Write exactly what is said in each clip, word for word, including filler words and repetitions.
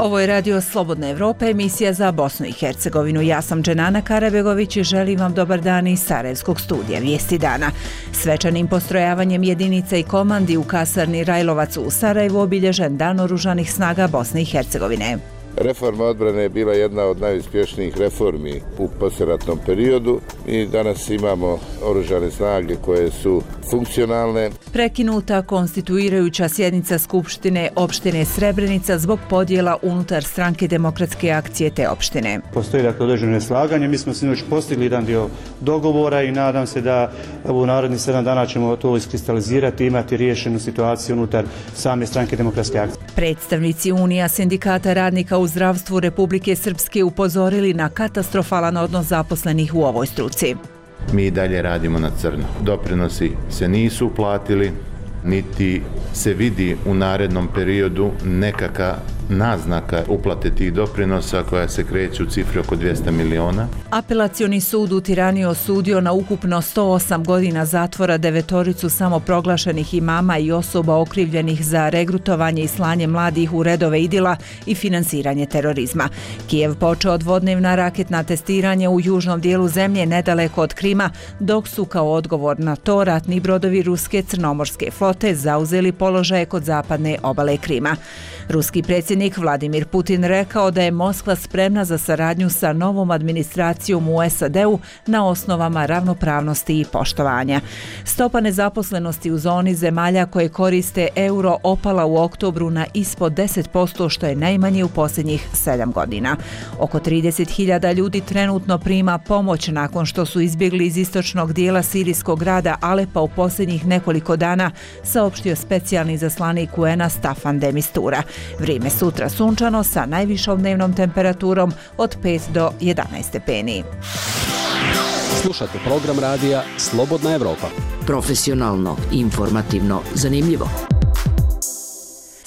Ovo je Radio Slobodna Evropa, emisija za Bosnu i Hercegovinu. Ja sam Dženana Karabegović i želim vam dobar dan iz Sarajevskog studija Vijesti dana. Svečanim postrojavanjem jedinica i komandi u kasarni Rajlovac u Sarajevu obilježen Dan oružanih snaga Bosne i Hercegovine. Reforma odbrane je bila jedna od najuspješnijih reformi u poslijeratnom periodu i danas imamo oružane snage koje su funkcionalne. Prekinuta konstituirajuća sjednica Skupštine opštine Srebrenica zbog podjela unutar stranke Demokratske akcije te opštine. Postoji dakle određeno slaganje, mi smo sinoć postigli jedan dio dogovora i nadam se da u narednih sedam dana ćemo to iskristalizirati i imati riješenu situaciju unutar same stranke Demokratske akcije. Predstavnici Unija sindikata radnika u zdravstvu Republike Srpske upozorili na katastrofalan odnos zaposlenih u ovoj struci. Mi dalje radimo na crno. Doprinosi se nisu uplatili, niti se vidi u narednom periodu nekakva naznaka uplate tih doprinosa koja se kreće u cifri oko dvjesto miliona. Apelacioni sud u Tirani osudio na ukupno sto osam godina zatvora devetoricu samoproglašenih imama i osoba okrivljenih za regrutovanje i slanje mladih u redove idila i finansiranje terorizma. Kijev počeo dvodnevna raketna testiranja u južnom dijelu zemlje nedaleko od Krima, dok su kao odgovor na to ratni brodovi ruske crnomorske flote zauzeli položaje kod zapadne obale Krima. Ruski predsjednik Vladimir Putin rekao da je Moskva spremna za saradnju sa novom administracijom u S A D-u na osnovama ravnopravnosti i poštovanja. Stopa nezaposlenosti u zoni zemalja koje koriste euro opala u oktobru na ispod deset posto, što je najmanje u posljednjih sedam godina. Oko trideset hiljada ljudi trenutno prima pomoć nakon što su izbjegli iz istočnog dijela sirijskog grada Alepa u posljednjih nekoliko dana, saopštio specijalni izaslanik U N-a Staffan de Mistura. Vrijeme sutra sunčano sa najvišom dnevnom temperaturom od pet do jedanaest stepeni. Slušate program radija Slobodna Evropa. Profesionalno, informativno, zanimljivo.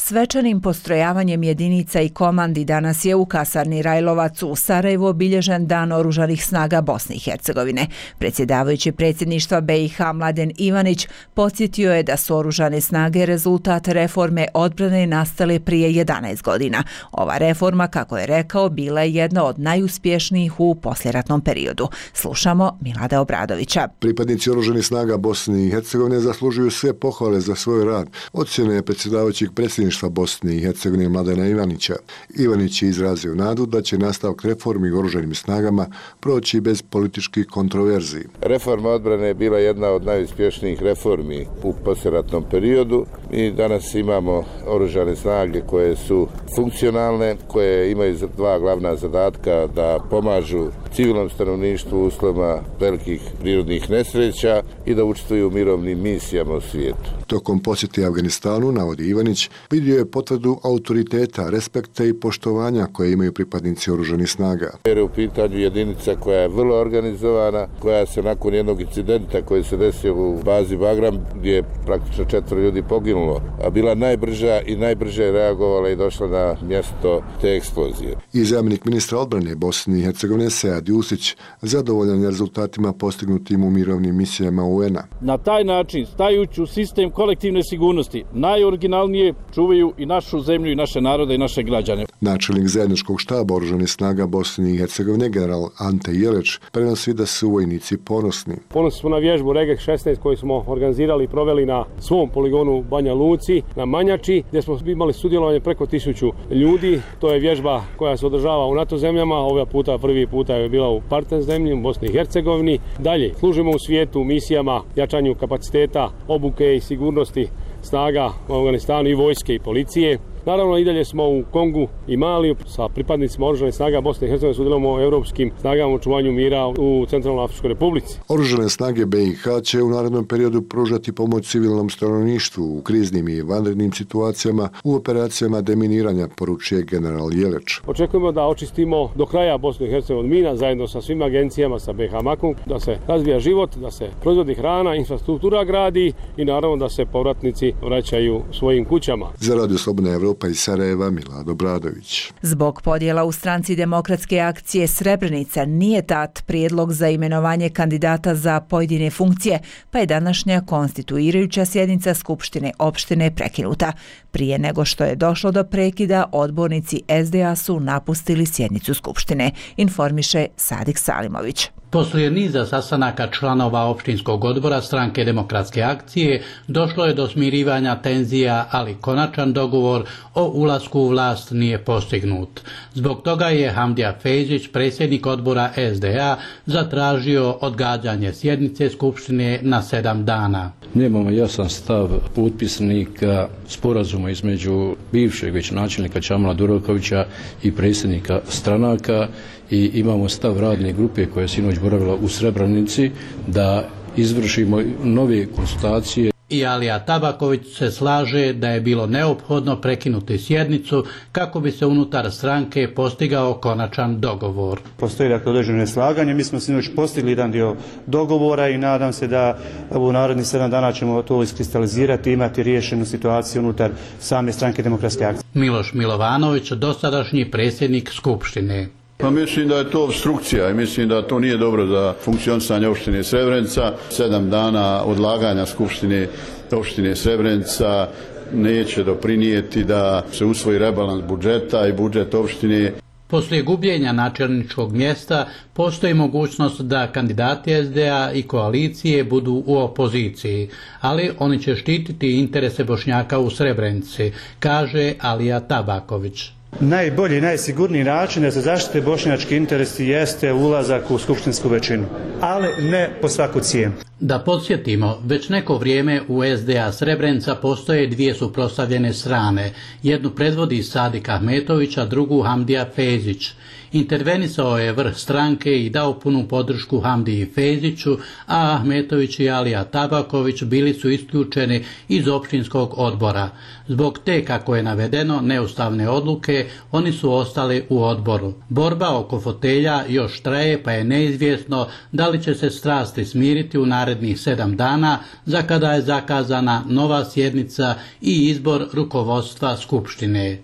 Svečanim postrojavanjem jedinica i komandi danas je u kasarni Rajlovac u Sarajevu obilježen Dan oružanih snaga Bosne i Hercegovine. Predsjedavajući predsjedništva B i H Mladen Ivanić podsjetio je da su oružane snage rezultat reforme odbrane nastale prije jedanaest godina. Ova reforma, kako je rekao, bila je jedna od najuspješnijih u poslijeratnom periodu. Slušamo Milada Obradovića. Pripadnici oružanih snaga Bosne i Hercegovine zaslužuju sve pohvale za svoj rad. Ocjena je predsjedavajućeg predsjedništva Bosne i Hercegovine Mladena Ivanića. Ivanić je izrazio nadu da će nastavak reformi u oružanim snagama proći bez političkih kontroverzi. Reforma odbrane je bila jedna od najuspješnijih reformi u poslijeratnom periodu i danas imamo oružane snage koje su funkcionalne, koje imaju dva glavna zadatka: da pomažu civilnom stanovništvu u uslovima velikih prirodnih nesreća i da učestvuju u mirovnim misijama u svijetu. Tokom posjete Afganistanu, navodi Ivanić, vidio je potvrdu autoriteta, respekta i poštovanja koje imaju pripadnici oružanih snaga. Jer je u pitanju jedinica koja je vrlo organizovana, koja se nakon jednog incidenta koji se desio u bazi Bagram, gdje je praktično četvoro ljudi poginulo, a bila najbrža i najbrže je reagovala i došla na mjesto te eksplozije. I zamjenik ministra odbrane Bosne i Hercegovine Sead Jusić zadovoljan je rezultatima postignutim u mirovnim misijama U N-a. Na taj način, stajući u sistem kolektivne sigurnosti, najoriginalnije čuvaju i našu zemlju i naše narode i naše građane. Načelnik zajedničkog štaba oružanih snaga Bosne i Hercegovine general Ante Jeleć prenosi da su vojnici ponosni. Ponosni smo na vježbu Regek šesnaest koju smo organizirali i proveli na svom poligonu Banja Luci, na Manjači, gdje smo imali sudjelovanje preko tisuću ljudi. To je vježba koja se održava u NATO zemljama, ovog puta prvi puta je bila u partner zemlji, u Bosni i Hercegovini. Dalje, služimo u svijetu misijama, jačanju kapaciteta, obuke i sigurnosti snaga u Afganistanu i vojske i policije. Naravno, i dalje smo u Kongu i Maliju sa pripadnicima oružanih snaga Bosne i Hercegovine, sudjelujemo u europskim snagama u očuvanju mira u Centralnoj Afričkoj Republici. Oružane snage B i H će u narednom periodu pružati pomoć civilnom stanovništvu u kriznim i vanrednim situacijama u operacijama deminiranja, poručuje general Jeleć. Očekujemo da očistimo do kraja Bosnu i Hercegovinu mina zajedno sa svim agencijama, sa B i H Makom, da se razvija život, da se proizvodi hrana, infrastruktura gradi i naravno da se povratnici vraćaju svojim kućama. Za Radio Slobodna Evropa Evropa iz Sarajeva, Milad Obradović. Zbog podjela u stranci Demokratske akcije Srebrenica nije dat prijedlog za imenovanje kandidata za pojedine funkcije, pa je današnja konstituirajuća sjednica Skupštine opštine prekinuta. Prije nego što je došlo do prekida, odbornici S D A su napustili sjednicu Skupštine, informiše Sadik Salimović. Poslije niza sastanaka članova opštinskog odbora stranke Demokratske akcije došlo je do smirivanja tenzija, ali konačan dogovor o ulasku u vlast nije postignut. Zbog toga je Hamdija Fejzić, predsjednik odbora S D A, zatražio odgađanje sjednice Skupštine na sedam dana. Nemamo jasan stav potpisnika sporazuma između bivšeg već načelnika Čamila Durakovića i predsjednika stranaka i imamo stav radne grupe koja je sinoć boravila u Srebrenici da izvršimo nove konsultacije. I Alija Tabaković se slaže da je bilo neophodno prekinuti sjednicu kako bi se unutar stranke postigao konačan dogovor. Postoji dakle određeno neslaganje, mi smo sinoć postigli jedan dio dogovora i nadam se da u narednih sedam dana ćemo to iskristalizirati i imati riješenu situaciju unutar same stranke Demokratske akcije. Miloš Milovanović, dosadašnji predsjednik Skupštine. Pa mislim da je to obstrukcija i mislim da to nije dobro za funkcionisanje opštine Srebrenica. Sedam dana odlaganja Skupštine opštine Srebrenica neće doprinijeti da se usvoji rebalans budžeta i budžet opštine. Poslije gubljenja načelničkog mjesta postoji mogućnost da kandidati S D A i koalicije budu u opoziciji, ali oni će štititi interese Bošnjaka u Srebrenici, kaže Alija Tabaković. Najbolji i najsigurniji način da se zaštite bošnjački interesi jeste ulazak u skupštinsku većinu, ali ne po svaku cijenu. Da podsjetimo, već neko vrijeme u S D A Srebrenica postoje dvije suprotstavljene strane. Jednu predvodi Sadik Ahmetović, a drugu Hamdija Fejzić. Intervenisao je vrh stranke i dao punu podršku Hamdiji Fejziću, a Ahmetović i Alija Tabaković bili su isključeni iz opštinskog odbora. Zbog te, kako je navedeno, neustavne odluke, oni su ostali u odboru. Borba oko fotelja još traje, pa je neizvjesno da li će se strasti smiriti u narednih sedam dana, za kada je zakazana nova sjednica i izbor rukovodstva Skupštine.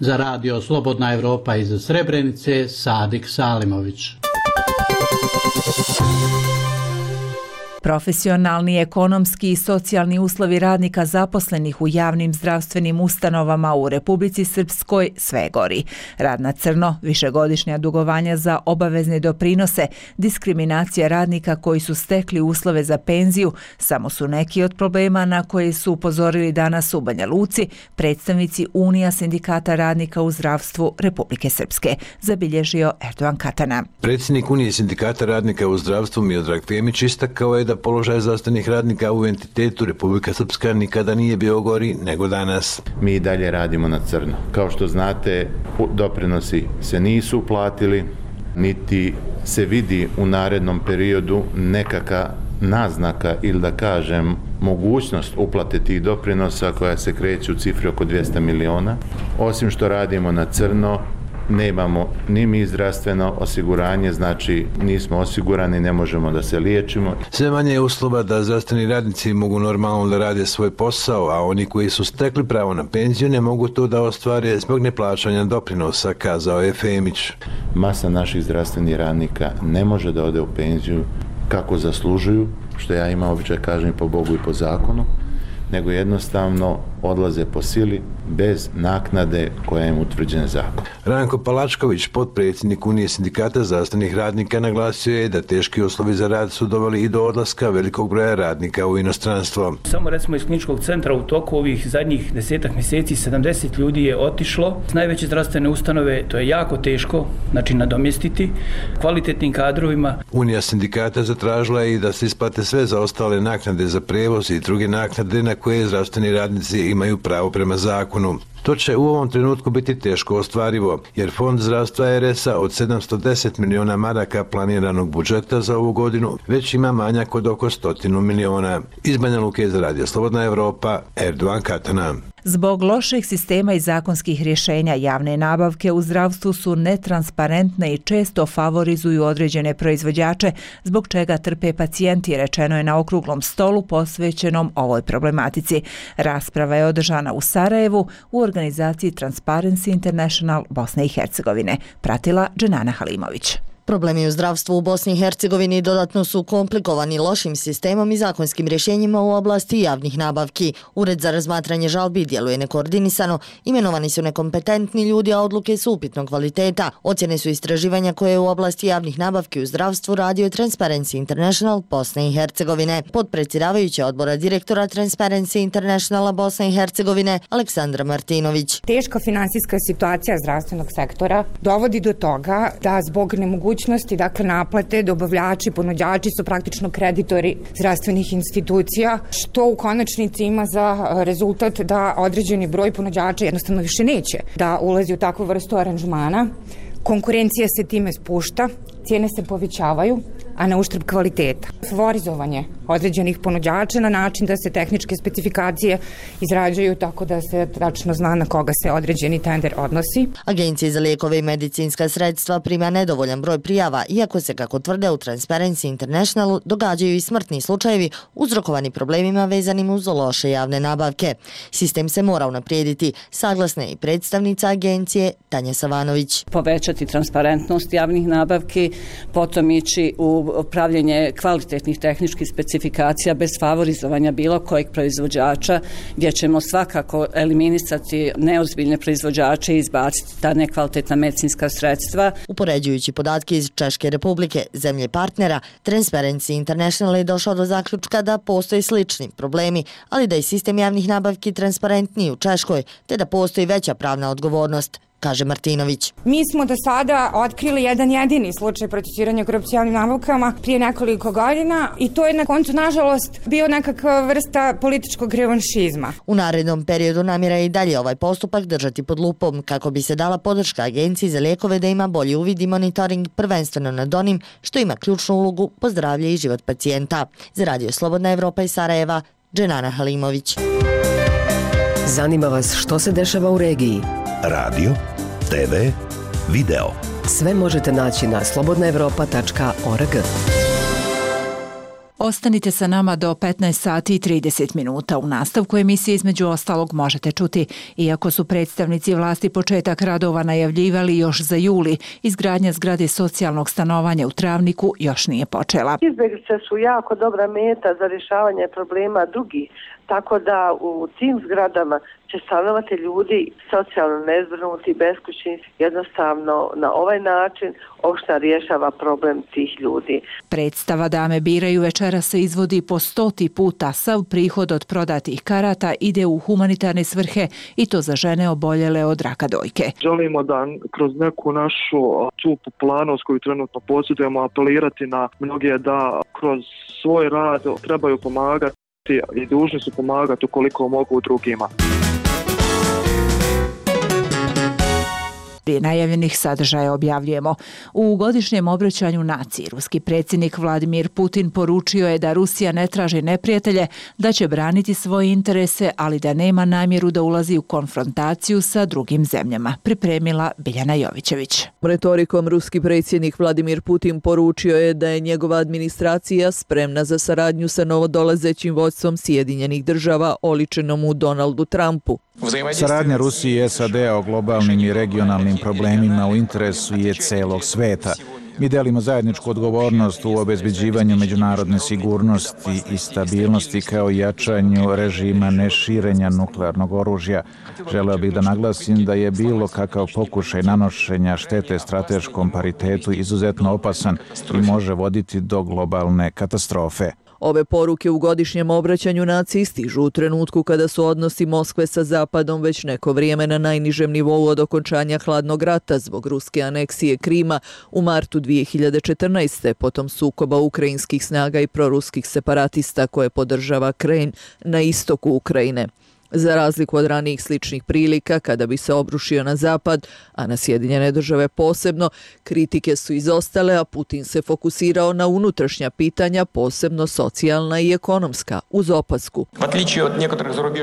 Za radio Slobodna Evropa iz Srebrenice, Sadik Salimović. Profesionalni, ekonomski i socijalni uslovi radnika zaposlenih u javnim zdravstvenim ustanovama u Republici Srpskoj sve gori. Rad na crno, višegodišnja dugovanja za obavezne doprinose, diskriminacija radnika koji su stekli uslove za penziju samo su neki od problema na koje su upozorili danas u Banja Luci predstavnici Unija sindikata radnika u zdravstvu Republike Srpske, zabilježio Erdogan Katana. Predsjednik Unije sindikata radnika u zdravstvu Miodrag Femić istakao je da položaj zdravstvenih radnika u entitetu Republika Srpska nikada nije bio gori nego danas. Mi i dalje radimo na crno. Kao što znate, doprinosi se nisu uplatili, niti se vidi u narednom periodu nekaka naznaka ili da kažem mogućnost uplate tih doprinosa koja se kreće u cifri oko dvjesto miliona. Osim što radimo na crno, nemamo ni mi zdravstveno osiguranje, znači nismo osigurani, ne možemo da se liječimo. Sve manje je uslova da zdravstveni radnici mogu normalno da rade svoj posao, a oni koji su stekli pravo na penziju ne mogu to da ostvare zbog neplaćanja doprinosa, kazao je Femić. Masa naših zdravstvenih radnika ne može da ode u penziju kako zaslužuju, što ja imam običaj kažem po Bogu i po zakonu, nego jednostavno odlaze po sili bez naknade koja im utvrđena zakon. Ranko Palačković, potpredsjednik Unije sindikata zdravstvenih radnika, naglasio je da teški uslovi za rad su doveli i do odlaska velikog broja radnika u inostranstvo. Samo recimo iz kliničkog centra u toku ovih zadnjih desetak mjeseci sedamdeset ljudi je otišlo. S najveće zdravstvene ustanove to je jako teško, znači nadomjestiti kvalitetnim kadrovima. Unija sindikata zatražila je i da se isplate sve zaostale naknade za prevoz i druge naknade na koje zdravstveni radnici imaju pravo prema zakonu. To će u ovom trenutku biti teško ostvarivo, jer Fond zdravstva R S A od sedamsto deset miliona maraka planiranog budžeta za ovu godinu već ima manjak od oko stotinu miliona. Iz Banja Luke za radio Slobodna Evropa, Erdogan Katana. Zbog loših sistema i zakonskih rješenja javne nabavke u zdravstvu su netransparentne i često favorizuju određene proizvođače, zbog čega trpe pacijenti, rečeno je na okruglom stolu posvećenom ovoj problematici. Rasprava je održana u Sarajevu u organizaciji Transparency International Bosne i Hercegovine, pratila Dženana Halimović. Problemi u zdravstvu u Bosni i Hercegovini dodatno su komplikovani lošim sistemom i zakonskim rješenjima u oblasti javnih nabavki. Ured za razmatranje žalbi djeluje nekoordinisano, imenovani su nekompetentni ljudi, a odluke su upitnog kvaliteta. Ocjene su istraživanja koje u oblasti javnih nabavki u zdravstvu radio Transparency International Bosne i Hercegovine. Podpredsjedavajuća odbora direktora Transparency Internationala Bosne i Hercegovine Aleksandra Martinović. Teška finansijska situacija zdravstvenog sektora dovodi do toga da zbog nemogućnosti dakle naplate, dobavljači, ponuđači su praktično kreditori zdravstvenih institucija, što u konačnici ima za rezultat da određeni broj ponuđača jednostavno više neće da ulazi u takvu vrstu aranžmana. Konkurencija se time spušta, cijene se povećavaju, a na uštrb kvaliteta. Favorizovanje određenih ponuđača na način da se tehničke specifikacije izrađuju tako da se tačno zna na koga se određeni tender odnosi. Agencija za lijekove i medicinska sredstva prima nedovoljan broj prijava, iako se, kako tvrde u Transparency Internationalu, događaju i smrtni slučajevi uzrokovani problemima vezanim uz loše javne nabavke. Sistem se mora unaprijediti, saglasna je i predstavnica agencije Tanja Savanović. Povećati transparentnost javnih nabavki, potom ići u pravljenje kvalitetnih tehničkih specifikacija bez favorizovanja bilo kojeg proizvođača, gdje ćemo svakako eliminisati neozbiljne proizvođače i izbaciti ta nekvalitetna medicinska sredstva. Upoređujući podatke iz Češke republike, zemlje partnera, Transparency International je došao do zaključka da postoje slični problemi, ali da je sistem javnih nabavki transparentniji u Češkoj, te da postoji veća pravna odgovornost, kaže Martinović. Mi smo do sada otkrili jedan jedini slučaj procesuiranja korupcije javnim nabavkama prije nekoliko godina i to je na koncu, nažalost, bio nekakva vrsta političkog revanšizma. U narednom periodu namjera je i dalje ovaj postupak držati pod lupom kako bi se dala podrška Agenciji za lijekove da ima bolji uvid i monitoring, prvenstveno nad onim što ima ključnu ulogu po zdravlje i život pacijenta. Za Radio Slobodna Evropa iz Sarajeva, Dženana Halimović. Zanima vas što se dešava u regiji? Radio, te ve, video. Sve možete naći na slobodna evropa tačka org. Ostanite sa nama do petnaest sati i trideset minuta. U nastavku emisije između ostalog možete čuti, iako su predstavnici vlasti početak radova najavljivali još za juli, izgradnja zgrade socijalnog stanovanja u Travniku još nije počela. Izbjeglice su jako dobra meta za rješavanje problema drugih, tako da u tim zgradama će stanovati ljudi socijalno nezbrinuti, beskućni, jednostavno na ovaj način opština rješava problem tih ljudi. Predstava Dame biraju večera se izvodi po stoti puta. Sav prihod od prodatih karata ide u humanitarne svrhe i to za žene oboljele od raka dojke. Želimo da kroz neku našu tu popularnost koju trenutno posjedujemo apelirati na mnoge da kroz svoj rad trebaju pomagati i dužni su pomagati ukoliko mogu drugima. Prije najavljenih sadržaja objavljujemo. U godišnjem obraćanju naciji ruski predsjednik Vladimir Putin poručio je da Rusija ne traži neprijatelje, da će braniti svoje interese, ali da nema namjeru da ulazi u konfrontaciju sa drugim zemljama. Pripremila Biljana Jovićević. Retorikom ruski predsjednik Vladimir Putin poručio je da je njegova administracija spremna za saradnju sa novodolazećim vodstvom Sjedinjenih država, oličenom u Donaldu Trumpu. Saradnja Rusije i S A D-a o globalnim i regionalnim problemima u interesu je celog sveta. Mi delimo zajedničku odgovornost u obezbeđivanju međunarodne sigurnosti i stabilnosti kao i jačanju režima neširenja nuklearnog oružja. Želeo bih da naglasim da je bilo kakav pokušaj nanošenja štete strateškom paritetu izuzetno opasan i može voditi do globalne katastrofe. Ove poruke u godišnjem obraćanju naciji stižu u trenutku kada su odnosi Moskve sa Zapadom već neko vrijeme na najnižem nivou od okončanja hladnog rata zbog ruske aneksije Krima u martu dvije hiljade četrnaeste. potom sukoba ukrajinskih snaga i proruskih separatista koje podržava Kremlj na istoku Ukrajine. Za razliku od ranijih sličnih prilika, kada bi se obrušio na Zapad, a na Sjedinjene države posebno, kritike su izostale, a Putin se fokusirao na unutrašnja pitanja, posebno socijalna i ekonomska, uz opasku.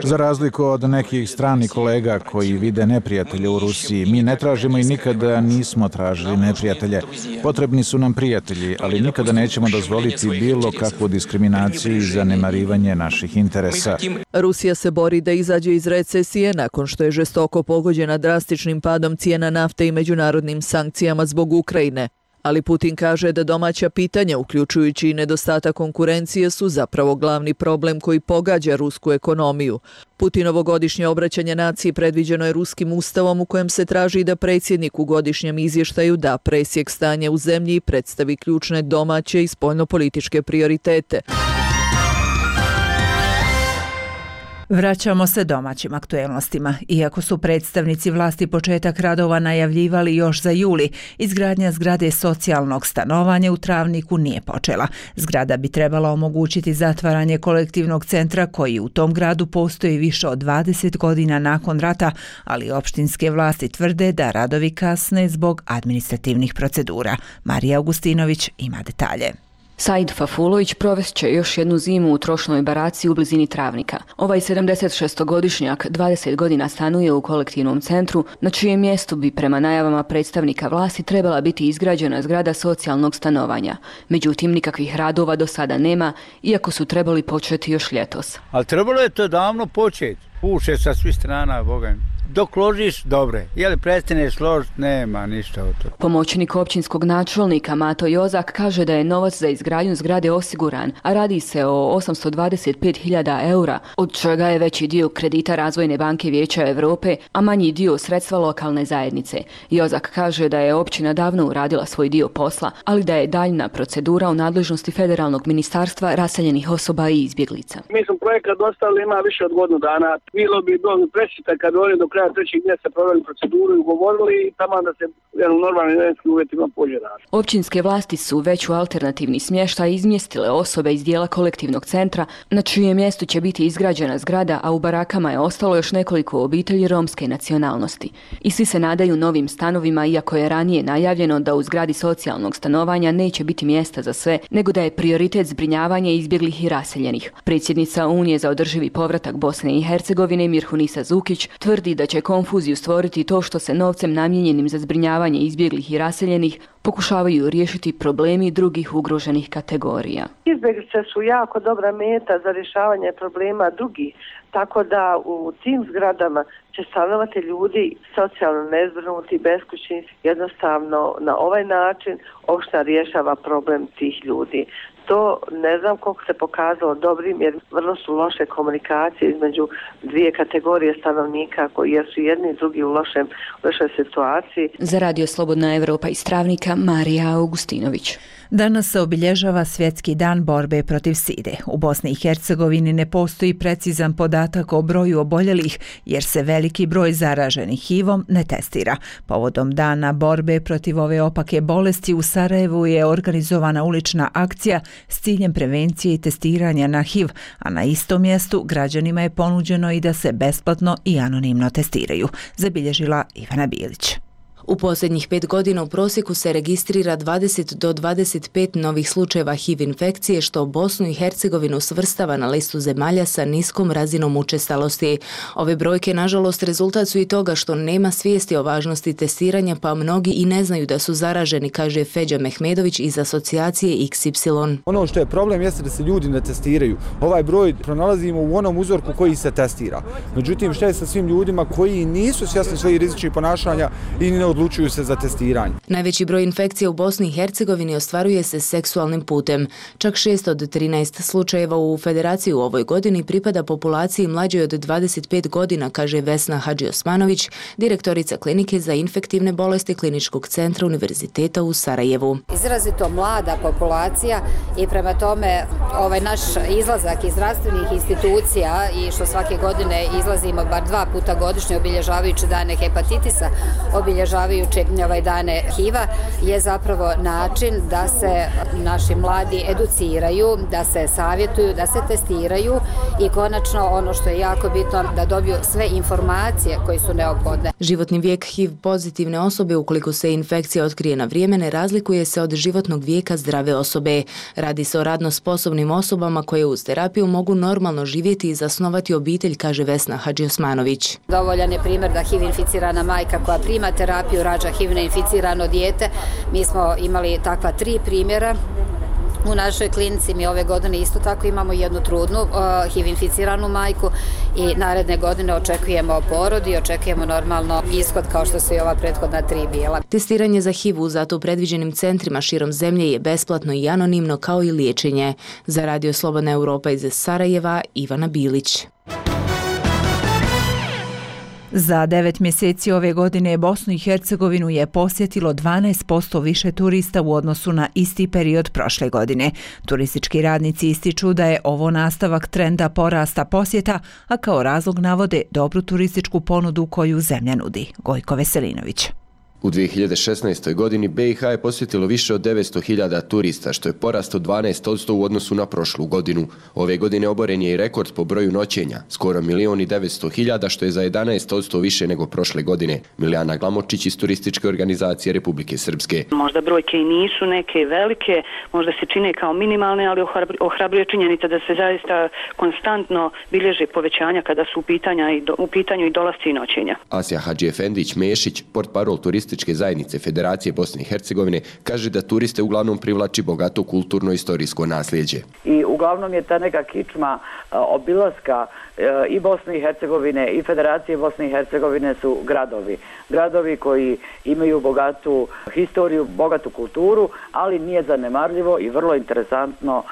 Za razliku od nekih stranih kolega koji vide neprijatelje u Rusiji, mi ne tražimo i nikada nismo tražili neprijatelje. Potrebni su nam prijatelji, ali nikada nećemo dozvoliti bilo kakvu diskriminaciju i zanemarivanje naših interesa. Rusija se bori da izađe iz recesije nakon što je žestoko pogođena drastičnim padom cijena nafte i međunarodnim sankcijama zbog Ukrajine. Ali Putin kaže da domaća pitanja, uključujući i nedostatak konkurencije, su zapravo glavni problem koji pogađa rusku ekonomiju. Putinovo godišnje obraćanje naciji predviđeno je ruskim ustavom u kojem se traži da predsjednik u godišnjem izvještaju da presjek stanja u zemlji i predstavi ključne domaće i spoljnopolitičke prioritete. Vraćamo se domaćim aktuelnostima. Iako su predstavnici vlasti početak radova najavljivali još za juli, izgradnja zgrade socijalnog stanovanja u Travniku nije počela. Zgrada bi trebala omogućiti zatvaranje kolektivnog centra koji u tom gradu postoji više od dvadeset godina nakon rata, ali opštinske vlasti tvrde da radovi kasne zbog administrativnih procedura. Marija Augustinović ima detalje. Said Fafulović provest će još jednu zimu u trošnoj baraci u blizini Travnika. Ovaj sedamdesetšestogodišnjak dvadeset godina stanuje u kolektivnom centru, na čijem mjestu bi prema najavama predstavnika vlasti trebala biti izgrađena zgrada socijalnog stanovanja. Međutim, nikakvih radova do sada nema, iako su trebali početi još ljetos. Ali trebalo je to davno početi. Puše sa svih strana, Boga mi. Dok ložiš, dobre. Jeli prestaneš ložiti, nema ništa od toga. Pomoćnik općinskog načelnika Mato Jozak kaže da je novac za izgradnju zgrade osiguran, a radi se o osamsto dvadeset pet hiljada eura, od čega je veći dio kredita Razvojne banke Vijeća Europe, a manji dio sredstva lokalne zajednice. Jozak kaže da je općina davno uradila svoj dio posla, ali da je daljna procedura u nadležnosti Federalnog ministarstva raseljenih osoba i izbjeglica. Mi smo projekat dostavili, ima više od godinu dana. Bilo bi dobro presjeta kad oni do kraja trećeg mjeseca proveli proceduru i ugovorili i tamo da se u normalnim vremenskim uvjetima pođe rad. Općinske vlasti su već u alternativni smještaj izmjestile osobe iz dijela kolektivnog centra, na čijem mjestu će biti izgrađena zgrada, a u barakama je ostalo još nekoliko obitelji romske nacionalnosti. I svi se nadaju novim stanovima, iako je ranije najavljeno da u zgradi socijalnog stanovanja neće biti mjesta za sve, nego da je prioritet zbrinjavanje izbjeglih i raseljenih. Predsjednica Unije za održivi povratak Bosne i Hercegovine Mirhunisa Zukić tvrdi da će konfuziju stvoriti to što se novcem namijenjenim za zbrinjavanje izbjeglih i raseljenih pokušavaju riješiti problemi drugih ugroženih kategorija. Izbjeglice su jako dobra meta za rješavanje problema drugih, tako da u tim zgradama će stanovati ljudi socijalno nezbrinuti, beskućni. Jednostavno na ovaj način opština rješava problem tih ljudi. To ne znam koliko se pokazalo dobrim, jer vrlo su loše komunikacije između dvije kategorije stanovnika koji su jedni i drugi u lošem, lošoj situaciji. Za Radio Slobodna Evropa iz Travnika, Marija Augustinović. Danas se obilježava Svjetski dan borbe protiv side. U Bosni i Hercegovini ne postoji precizan podatak o broju oboljelih, jer se veliki broj zaraženih H I V-om ne testira. Povodom dana borbe protiv ove opake bolesti u Sarajevu je organizovana ulična akcija s ciljem prevencije i testiranja na H I V, a na istom mjestu građanima je ponuđeno i da se besplatno i anonimno testiraju, zabilježila Ivana Bilić. U posljednjih pet godina u prosjeku se registrira dvadeset do dvadeset pet novih slučajeva H I V infekcije, što Bosnu i Hercegovinu svrstava na listu zemalja sa niskom razinom učestalosti. Ove brojke, nažalost, rezultat su i toga što nema svijesti o važnosti testiranja, pa mnogi i ne znaju da su zaraženi, kaže Feđa Mehmedović iz asocijacije X Y. Ono što je problem jeste da se ljudi ne testiraju. Ovaj broj pronalazimo u onom uzorku koji se testira. Međutim, šta je sa svim ljudima koji nisu svjesni svojih rizičnih ponašanja i ne odlučuju se za testiranje? Najveći broj infekcija u Bosni i Hercegovini ostvaruje se seksualnim putem. Čak šest od trinaest slučajeva u Federaciji u ovoj godini pripada populaciji mlađoj od dvadeset pet godina, kaže Vesna Hadžiosmanović, direktorica klinike za infektivne bolesti Kliničkog centra Univerziteta u Sarajevu. Izrazito mlada populacija i prema tome ovaj naš izlazak iz zdravstvenih institucija i što svake godine izlazimo bar dva puta godišnje obilježavajući dane hepatitisa, obilježavajući ovaj dane H I V-a, je zapravo način da se naši mladi educiraju, da se savjetuju, da se testiraju i konačno ono što je jako bitno, da dobiju sve informacije koje su neophodne. Životni vijek H I V pozitivne osobe, ukoliko se infekcija otkrije na vrijeme, ne razlikuje se od životnog vijeka zdrave osobe. Radi se o radno sposobnim osobama koje uz terapiju mogu normalno živjeti i zasnovati obitelj, kaže Vesna Hadžiosmanović. Dovoljan je primjer da H I V inficirana majka koja prima terapiju rađa H I V neinficirano dijete. Mi smo imali takva tri primjera U našoj klinici mi ove godine isto tako imamo jednu trudnu uh, H I V inficiranu majku i naredne godine očekujemo porod i očekujemo normalno ishod kao što su i ova prethodna tri bila. Testiranje za H I V u zato predviđenim centrima širom zemlje je besplatno i anonimno kao i liječenje. Za Radio Slobodna Europa iz Sarajeva, Ivana Bilić. Za devet mjeseci ove godine Bosnu i Hercegovinu je posjetilo dvanaest posto više turista u odnosu na isti period prošle godine. Turistički radnici ističu da je ovo nastavak trenda porasta posjeta, a kao razlog navode dobru turističku ponudu koju zemlja nudi. Gojko Veselinović. U dvije hiljade šesnaestoj godini B i H je posjetilo više od devetsto hiljada turista, što je porast od dvanaest posto u odnosu na prošlu godinu. Ove godine oboren je i rekord po broju noćenja, skoro milion i devetsto hiljada, što je za jedanaest posto više nego prošle godine. Milijana Glamočić iz Turističke organizacije Republike Srpske. Možda brojke i nisu neke velike, možda se čine kao minimalne, ali ohrabruje činjenica da se zaista konstantno bilježe povećanja kada su u, pitanja i do, u pitanju i dolasci i noćenja. Asja Hadžiefendić-Mešić, portparol Turističke zajednice Federacije Bosne i Hercegovine, kaže da turiste uglavnom privlači bogato kulturno-istorijsko nasljeđe. I uglavnom je ta neka kičma obilaska i Bosne i Hercegovine i Federacije Bosne i Hercegovine su gradovi. Gradovi koji imaju bogatu historiju, bogatu kulturu, ali nije zanemarljivo i vrlo interesantno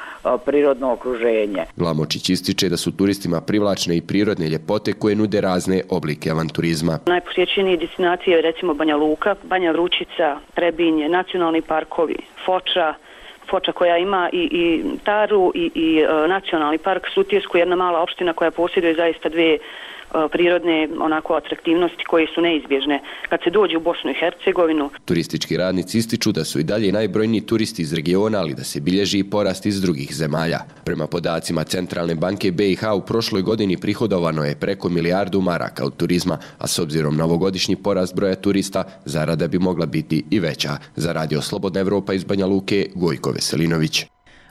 prirodno okruženje. Glamočić ističe da su turistima privlačne i prirodne ljepote koje nude razne oblike avanturizma. Najposjećenije destinacije je recimo Banja Luka, Banja Vrućica, Trebinje, nacionalni parkovi, Foča, Foča koja ima i, i Taru i, i e, nacionalni park Sutjesku, jedna mala opština koja posjeduje zaista dvije prirodne onako atraktivnosti koje su neizbježne kad se dođe u Bosnu i Hercegovinu. Turistički radnici ističu da su i dalje najbrojniji turisti iz regiona, ali da se bilježi i porast iz drugih zemalja. Prema podacima Centralne banke B i H u prošloj godini prihodovano je preko milijardu maraka od turizma, a s obzirom na ovogodišnji porast broja turista, zarada bi mogla biti i veća. Za Radio Slobodna Evropa iz Banja Luke, Gojko Veselinović.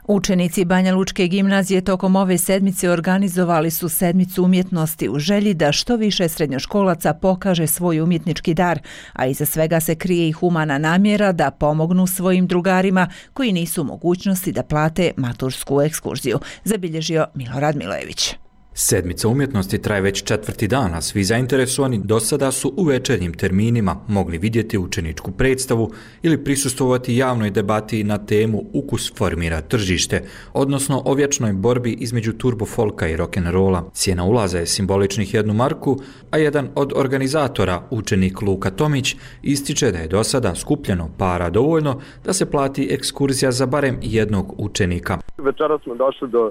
Učenici Banja Lučke gimnazije tokom ove sedmice organizovali su sedmicu umjetnosti u želji da što više srednjoškolaca pokaže svoj umjetnički dar, a iza svega se krije i humana namjera da pomognu svojim drugarima koji nisu u mogućnosti da plate matursku ekskurziju, zabilježio Milorad Milojević. Sedmica umjetnosti traje već četvrti dan, a svi zainteresovani do sada su u večernjim terminima mogli vidjeti učeničku predstavu ili prisustvovati javnoj debati na temu Ukus formira tržište, odnosno o vječnoj borbi između turbo folka i rock'n'rolla. Cijena ulaza je simboličnih jednu marku, a jedan od organizatora, učenik Luka Tomić, ističe da je do sada skupljeno para dovoljno da se plati ekskurzija za barem jednog učenika. Večera smo došli do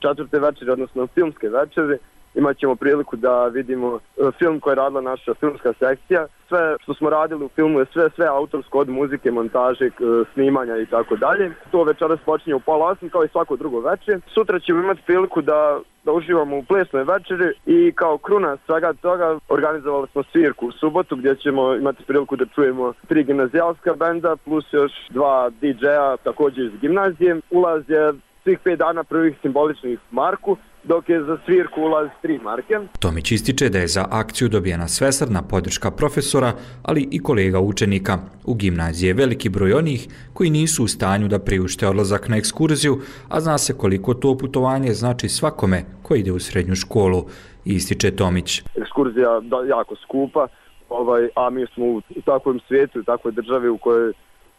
četvrte večeri, odnosno filmske večeri. Imat ćemo priliku da vidimo film koji je radila naša filmska sekcija. Sve što smo radili u filmu je sve, sve autorsko, od muzike, montaže, snimanja i tako dalje. To večeras počinje u pola osam kao i svako drugo večer. Sutra ćemo imati priliku da, da uživamo u plesnoj večeri i kao kruna svega toga organizovali smo svirku u subotu gdje ćemo imati priliku da čujemo tri gimnazijalska benda plus još dva D J-a također iz gimnazije. Ulaz je svih pet dana prvih simboličnih marku, dok je za svirku ulaz tri marke. Tomić ističe da je za akciju dobijena svesrdna podrška profesora, ali i kolega učenika. U gimnaziji je veliki broj onih koji nisu u stanju da priušte odlazak na ekskurziju, a zna se koliko to putovanje znači svakome koji ide u srednju školu, ističe Tomić. Ekskurzija je jako skupa, ovaj, a mi smo u takvom svijetu, u takvoj državi u kojoj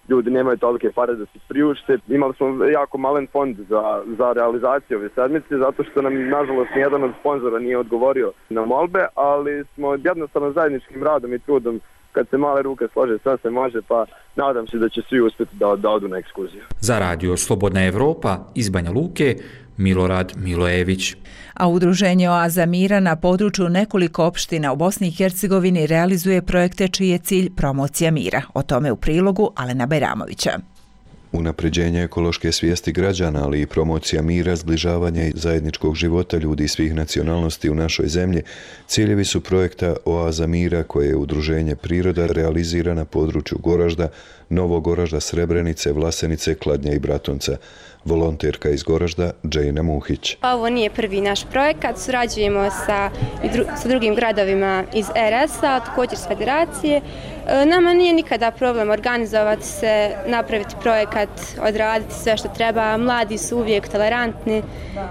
ljudi nemaju tolike pare da se priušte. Imali smo jako malen fond za, za realizaciju ove sedmice, zato što nam, nažalost, nijedan od sponzora nije odgovorio na molbe, ali smo jednostavno zajedničkim radom i trudom, kad se male ruke slože, sve se može, pa nadam se da će svi uspjeti da, da odu na ekskurziju. Za Radio Slobodna Evropa iz Banja Luke, Milorad Milojević. A udruženje Oaza mira na području nekoliko opština u Bosni i Hercegovini realizuje projekte čiji je cilj promocija mira. O tome u prilogu Alena Bajramovića. Unapređenje ekološke svijesti građana, ali i promocija mira, zbližavanja i zajedničkog života ljudi svih nacionalnosti u našoj zemlji, ciljevi su projekta Oaza mira koje je udruženje Priroda realizira na području Goražda, Novog Goražda, Srebrenice, Vlasenice, Kladnja i Bratunca. Volonterka iz Goražda, Džejna Muhić. Ovo nije prvi naš projekat, surađujemo sa, sa drugim gradovima iz er es a, također s federacije. Nama nije nikada problem organizovati se, napraviti projekat, odraditi sve što treba. Mladi su uvijek tolerantni.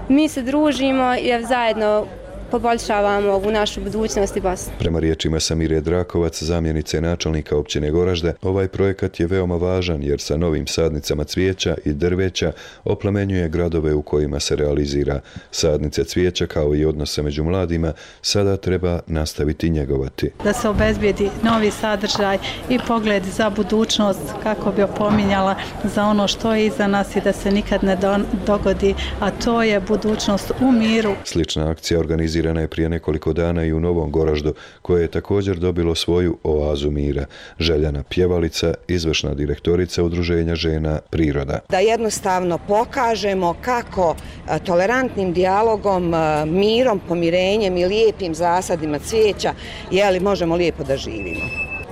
Mi se družimo i zajedno poboljšavamo ovu našu budućnost i Bosnu. Prema riječima Samire Drakovac, zamjenice načelnika općine Goražde, ovaj projekat je veoma važan jer sa novim sadnicama cvijeća i drveća oplemenjuje gradove u kojima se realizira. Sadnice cvijeća kao i odnose među mladima sada treba nastaviti njegovati. Da se obezbijedi novi sadržaj i pogled za budućnost, kako bi opominjala za ono što je iza nas i da se nikad ne dogodi, a to je budućnost u miru. Slična akcija organizira je prije nekoliko dana i u Novom Goraždu, koje je također dobilo svoju oazu mira. Željana Pjevalica, izvršna direktorica Udruženja žena Priroda. Da jednostavno pokažemo kako tolerantnim dijalogom, mirom, pomirenjem i lijepim zasadima cvijeća jeli, možemo lijepo da živimo.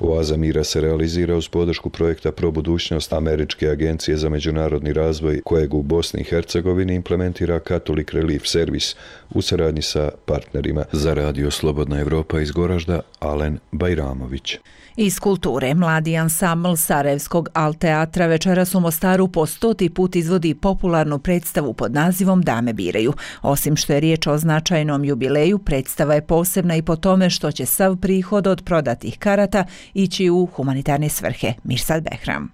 Oaza mira se realizira uz podršku projekta Pro budućnost Američke agencije za međunarodni razvoj, kojeg u Bosni i Hercegovini implementira Catholic Relief Service u saradnji sa partnerima. Za radio Slobodna Evropa iz Goražda, Alen Bajramović. Iz kulture, mladi ansambl Sarajevskog Alt teatra večeras u Mostaru po stoti put izvodi popularnu predstavu pod nazivom Dame biraju. Osim što je riječ o značajnom jubileju, predstava je posebna i po tome što će sav prihod od prodatih karata ići u humanitarne svrhe. Mirsad Behram.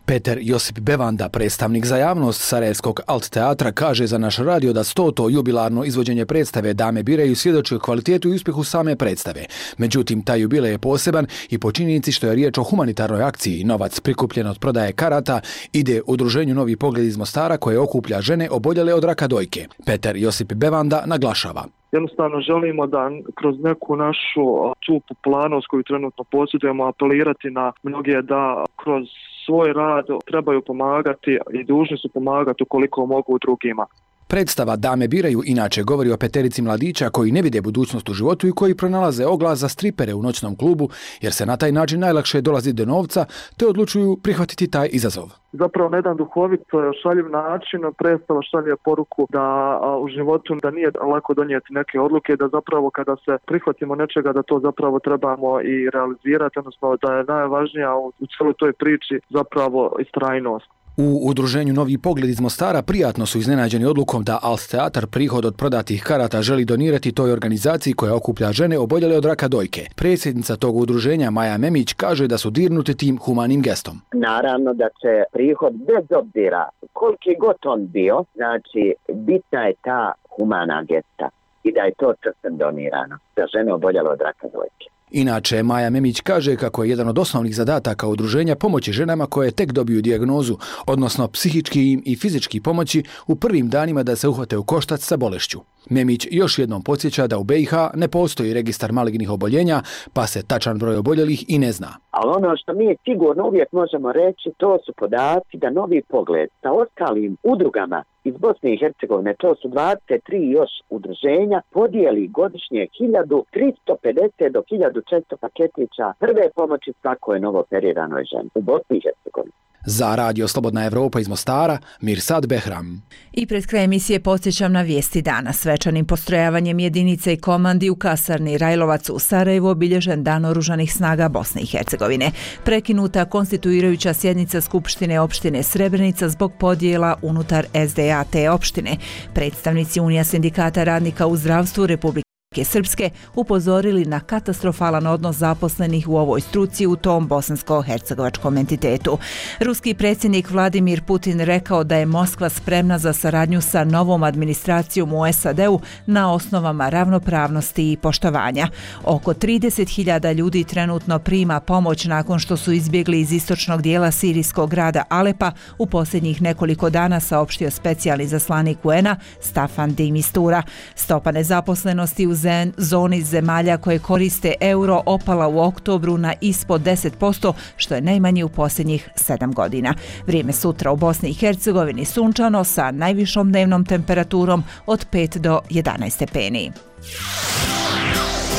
Peter Josip Bevanda, predstavnik za javnost Sarajevskog Alt teatra, kaže za naš radio da stoto jubilarno izvođenje predstave Dame biraju svjedoči o kvalitetu i uspjehu same predstave. Međutim, taj jubilej je poseban i po činjenici što je riječ o humanitarnoj akciji. Novac prikupljen od prodaje karata ide udruženju Novi pogled iz Mostara koje okuplja žene oboljele od raka dojke. Peter Josip Bevanda naglašava. Jednostavno želimo da kroz neku našu tu populanost koju trenutno posjedujemo apelirati na mnoge da kroz svoj rad trebaju pomagati i dužni su pomagati ukoliko mogu drugima. Predstava Dame biraju inače govori o peterici mladića koji ne vide budućnost u životu i koji pronalaze oglas za stripere u noćnom klubu jer se na taj način najlakše dolazi do novca te odlučuju prihvatiti taj izazov. Zapravo na jedan duhovit šaljiv način predstava šalje poruku da a, u životu da nije lako donijeti neke odluke, da zapravo kada se prihvatimo nečega da to zapravo trebamo i realizirati, odnosno da je najvažnija u, u cijeloj toj priči zapravo istrajnost. U udruženju Novi pogled iz Mostara prijatno su iznenađeni odlukom da Alt teatar prihod od prodatih karata želi donirati toj organizaciji koja okuplja žene oboljele od raka dojke. Predsjednica tog udruženja Maja Memić kaže da su dirnuti tim humanim gestom. Naravno da će prihod bez obzira koliki god on bio, znači bitna je ta humana gesta i da je to častem donirano za žene oboljele od raka dojke. Inače, Maja Memić kaže kako je jedan od osnovnih zadataka udruženja pomoći ženama koje tek dobiju dijagnozu, odnosno psihički im i fizički pomoći u prvim danima da se uhvate u koštac sa bolešću. Memić još jednom podsjeća da u be i ha ne postoji registar malignih oboljenja, pa se tačan broj oboljelih i ne zna. Ali ono što mi sigurno uvijek možemo reći, to su podaci da Novi pogled sa ostalim udrugama iz Bosne i Hercegovine, to su dvadeset tri još udruženja, podijeli godišnje hiljadu tristo pedeset do hiljadu četiristo paketića prve pomoći svakoj novoperiranoj ženi u Bosni i Hercegovini. Za radio Slobodna Evropa iz Mostara, Mirsad Behram. I pred kraj emisije podsjećam na vijesti dana. Svečanim postrojavanjem jedinice i komandi u kasarni Rajlovac u Sarajevu obilježen Dan oružanih snaga Bosne i Hercegovine. Prekinuta konstituirajuća sjednica Skupštine opštine Srebrenica zbog podjela unutar es de a te opštine. Predstavnici Unija sindikata radnika u zdravstvu Republike Srpske upozorili na katastrofalan odnos zaposlenih u ovoj struci u tom bosansko-hercegovačkom entitetu. Ruski predsjednik Vladimir Putin rekao da je Moskva spremna za saradnju sa novom administracijom u es a de u na osnovama ravnopravnosti i poštovanja. Oko trideset hiljada ljudi trenutno prima pomoć nakon što su izbjegli iz istočnog dijela sirijskog grada Alepa u posljednjih nekoliko dana, saopštio specijalni zaslanik u en a Staffan de Mistura. Stopa nezaposlenosti u zoni zemalja koje koriste euro opala u oktobru na ispod deset posto, što je najmanje u posljednjih sedam godina. Vrijeme sutra u Bosni i Hercegovini sunčano sa najvišom dnevnom temperaturom od pet do jedanaest stepeni.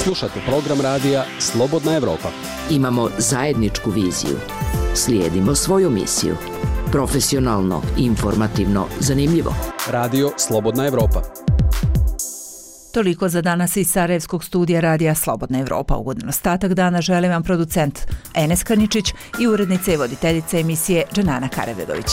Slušate program radija Slobodna Evropa. Imamo zajedničku viziju. Slijedimo svoju misiju. Profesionalno, informativno, zanimljivo. Radio Slobodna Evropa. Toliko za danas iz Sarajevskog studija Radija Slobodna Evropa. Ugodan ostatak dana želim vam producent Enes Karničić i urednica i voditeljica emisije Dženana Karavedović.